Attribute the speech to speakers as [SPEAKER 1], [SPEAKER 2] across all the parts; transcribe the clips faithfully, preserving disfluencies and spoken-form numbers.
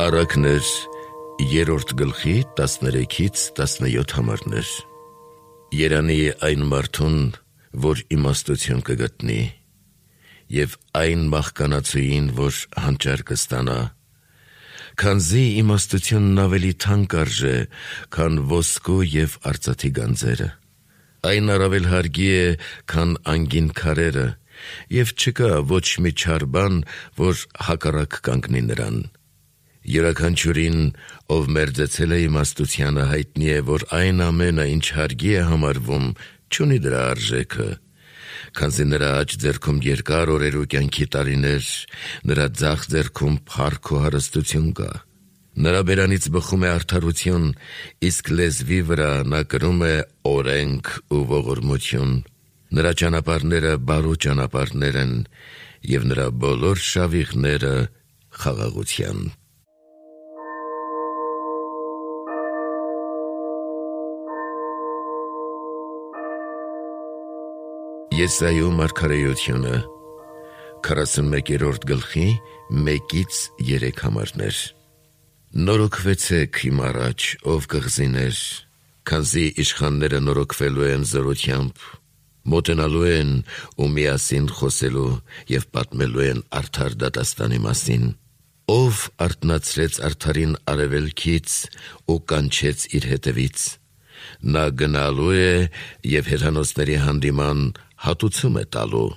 [SPEAKER 1] Առակներ երրորդ գլխի տասներեքից տասնյոթ համարներ։ Երանի այն մարդուն, որ իմաստություն կգտնի, և այն մահկանացուին, որ հանճար կստանա, քանզի իմաստությունն ավելի թանկ արժե, քան ոսկու և արծաթի գանձերը։ Այն առավել հարգի է, քան անգին քարերը, և չկա ոչ մի չար բան, որ հակառակ կանգնի նրան։ Յուրաքանչյուրին, ով մերձեցել է իմաստությանը, հայտնի է, որ այն ամենը, ինչ հարգի է համարվում, չունի դրա արժեքը, քանզի նրա աջ ձեռքում երկար օրեր ու կյանքի տարիներ, նրա ձախ ձեռքում փառք ու հարստություն կա։ Նրա բերանից բխում է արդարություն, իսկ լեզվի վրա նա կրում է օրենք ու ողորմություն։ Նրա ճանապարհները բարու ճանապարհներ են, և նրա բոլոր շավիղները խաղաղության։ Եսայու մարգարեությունը քառասունմեկերորդ գլխի մեկից երեք համարներ։ Նորոգվեցեք իմ առաջ, ով կղզիներ, քանզի իշխանները նորոգվելու են զորությամբ, մոտենալու են ու միասին խոսելու և պատմելու են արդար դատաստանի մասին։ Ով արթնացրեց արդարին արևելքից ու կանչեց իր հետևից։ Նա գնալու է և հեռանոցների հանդիման հատուցում է տալու,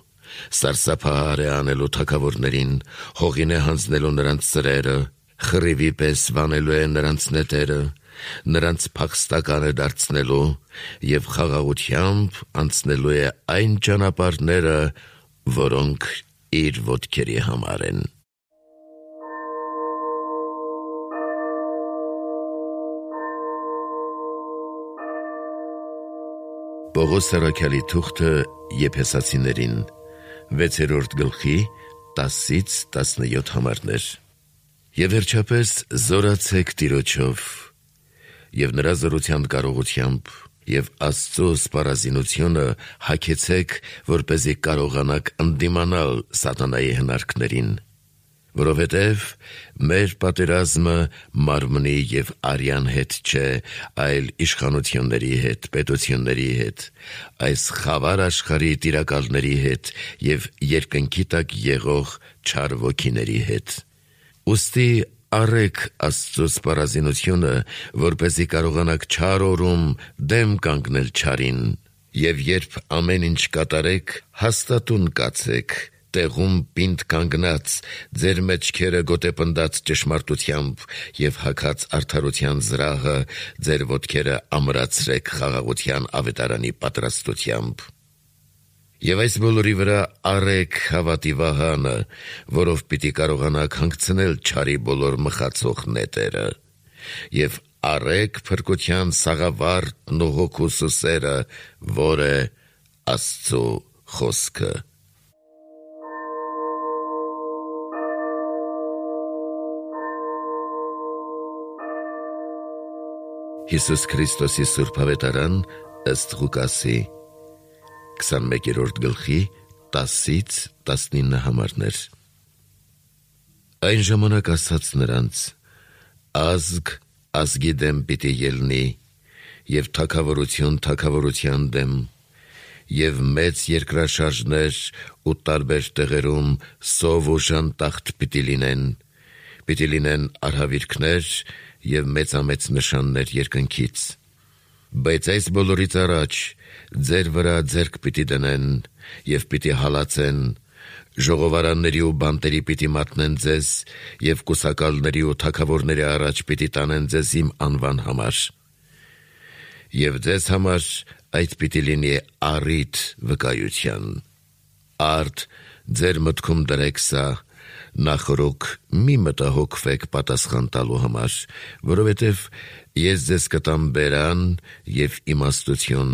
[SPEAKER 1] սարսափահար է անելու թագավորներին, հողին է հանձնելու նրանց ծրերը, խռիվի պես վանելու է նրանց նետերը, նրանց փախստական է դարձնելու և խաղաղությամբ անցնելու է այն ճանապարհները, որոնք իր ոտքերի համար են։ Պողոս առաքյալի թուղթը Եփեսացիներին վեցերորդ գլխի տասից տասնյոթ համարներ։ Եվ վերջապես զորացեք Տիրոջով և նրա զորության կարողությամբ, և Աստծո սպառազինությունը հագեցեք, որպեսզի կարողանաք ընդդիմանալ սատանայի հնարքներին, որովհետև մեր պատերազմը մարմնի և արյան հետ չէ, այլ իշխանությունների հետ, պետությունների հետ, այս խավար աշխարհի տիրակալների հետ և երկնքի տակ եղող չար ոգիների հետ։ Ուստի առեք Աստծո սպառազինությունը, որպեսզի կարողանաք չար օրում դեմ կանգնել չարին, և երբ ամեն ինչ կատարեք, հաստատուն կացեք, տեղում պինդ կանգնած, ձեր մեջքերը գոտեպնդած ճշմարտությամբ և հագած արդարության զրահը, ձեր ոտքերը ամրացրեք խաղաղության ավետարանի պատրաստությամբ։ Եվ այս բոլորի վրա առեք հավատի վահանը, որով պիտի կարողանաք հանգցնել չարի բոլոր մխացող նետերը, և առեք փրկության սաղավարտն ու հոգու սուսերը, որ է Աստծո խոսքը։ Հիսուս Քրիստոսի Սուրբ Ավետարան ըստ Ղուկասի քսանմեկերորդ գլխի տասից տասնինը համարներ։ Այն ժամանակ ասաց նրանց. ազգ ազգի դեմ պիտի ելնի, և թագավորություն թագավորության դեմ, և մեծ երկրաշարժներ ու տարբեր տեղերում սով ու ժանտախտ պիտի լինեն, պիտի լինեն արհավիրքներ և մեծամեծ նշաններ երկնքից։ Բայց այս բոլորից առաջ ձեր վրա ձեռք պիտի դնեն և պիտի հալածեն, ժողովարանների ու բանտերի պիտի մատնեն ձեզ և կուսակալների ու թագավորների առաջ պիտի տանեն ձեզ իմ անվան համար։ Եվ ձեզ համար այդ պիտի լինի առիթ վկայության։ Արդ ձեր մտքում դրեք սա, նախօրոք մի մտահոգվեք պատասխան տալու համար, որովհետև ես ձեզ կտամ բերան և իմաստություն,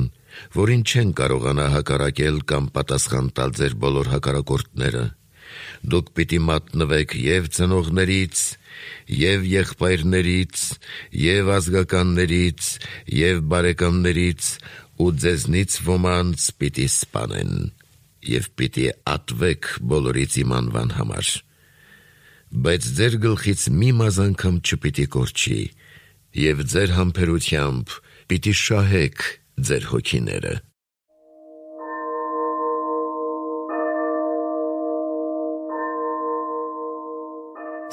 [SPEAKER 1] որին չեն կարողանա հակառակել կամ պատասխան տալ ձեր բոլոր հակառակորդները։ Դուք պիտի մատնվեք և ծնողներից, և եղբայրներից, և ազգականներից, և բարեկամներից, ու ձեզնից ոմանց պիտի սպանեն, և պիտի ատվեք բոլորից իմ անվան համար։ բայց ձեր գլխից մի մազանքամ չպիտի կորչի, և ձեր համբերությամբ պիտի շահեք ձեր հոգիները։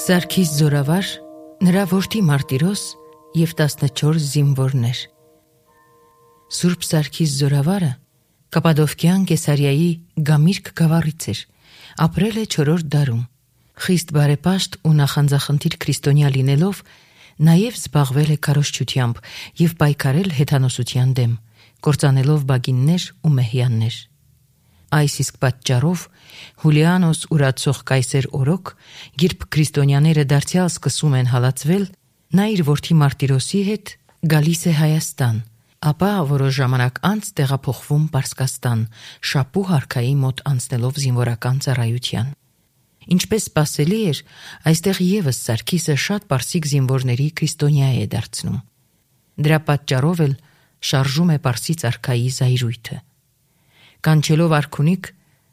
[SPEAKER 2] Սարգիս զորավար, նրա որդի Մարտիրոս և տասնչորս զինվորներ։ Սուրբ Սարգիս զորավարը Կապադովկյան Կեսարիայի Գամիրք գավառից էր, ապրել է չորրորդ դարում։ Խիստ բարեպաշտ ու նախանձախնդիր քրիստոնյա լինելով, նաև զբաղվել է քարոզչությամբ և պայքարել հեթանոսության դեմ, կործանելով բագիններ ու մեհյաններ։ Այս իսկ պատճառով Հուլիանոս ուրացող կայսեր օրոք, երբ քրիստոնյաները դարձյալ սկսում են հալածվել, նա իր որդի Մարտիրոսի հետ գալիս է Հայաստան, ապա որոշ ժամանակ անց տեղափոխվում Պարսկաստան, Շապու հարքայի մոտ անցնելով զինվորական ծառայության։ Ինչպես սպասելի էր, այստեղ ևս Սարգիսը շատ պարսիկ զինվորների քրիստոնյա է դարձնում։ Դրա պատճառով էլ շարժում է Պարսից արքայի զայրույթը։ Կանչելով արքունիք,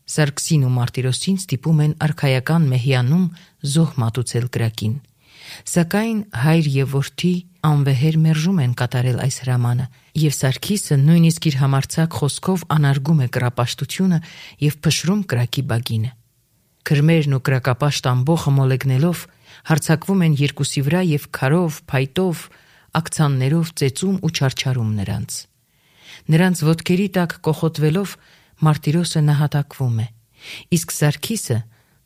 [SPEAKER 2] Սարգսին ու Մարտիրոսին ստիպում են արքայական մեհյանում զոհ մատուցել կրակին։ Սակայն հայր և որդի անվեհեր մերժում են կատարել այս հրամանը, և Սարգիսը նույնիսկ իր համարձակ խոսքով անարգում է կռապաշտությունը և փշրում կրակի բագինը։ Քրմերն ու կրակապաշտ ամբոխը մոլեգնելով հարձակվում են երկուսի վրա և քարով, փայտով, ակցաններով ծեծում ու չարչարում նրանց։ Նրանց ոտքերի տակ կոխոտվելով Մարտիրոսը նահատակվում է, իսկ Սարգիսը,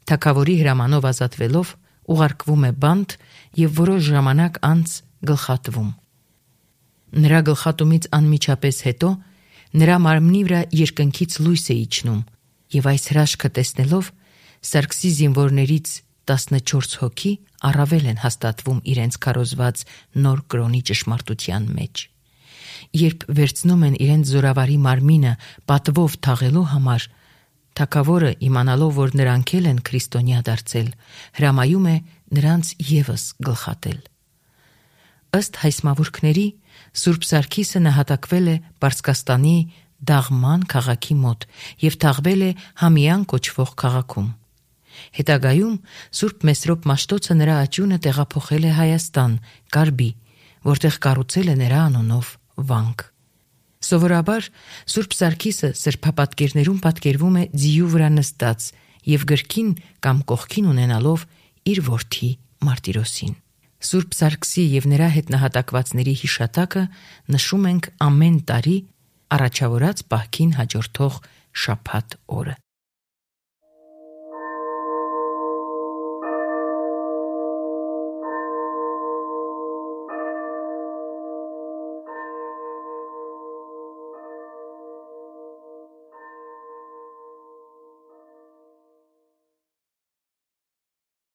[SPEAKER 2] թագավորի հրամանով ազատվելով, ուղարկվում է բանտ և որոշ ժամանակ անց գլխատվում։ Նրա գլխատումից անմիջապես հետո նրա մարմնի վրա երկնքից լույս է իջնում, և այս հրաշքը տեսնելով Սարգսի զինվորներից տասնչորս հոգի առավել են հաստատվում իրենց քարոզված նոր կրոնի ճշմարտության մեջ։ Երբ վերցնում են իրենց զորավարի մարմինը պատվով թաղելու համար, թագավորը, իմանալով, որ նրանք էլ են քրիստոնյա դարձել, հրամայում է նրանց ևս գլխատել։ Ըստ հայսմավուրքների, Սուրբ Սարգիսը նահատակվել է Պարսկաստանի Դաղման քաղաքի մոտ և թաղվել է Համիան կոչվող քաղաքում։ Հետագայում Սուրբ Մեսրոպ Մաշտոցը նրա աճյունը տեղափոխել է Հայաստան, Կարբի, որտեղ կառուցել է նրա անունով վանք։ Սովորաբար Սուրբ Սարգիսը սրբապատկերներում պատկերվում է ձիու վրա նստած և գրքին կամ կողքին ունենալով իր որդի Մարտիրոսին։ Սուրբ Սարգսի և նրա հետ նահատակվածների հիշատակը նշում ենք ամեն տարի առաջավորած պահքին հաջորդող շաբաթ օրը։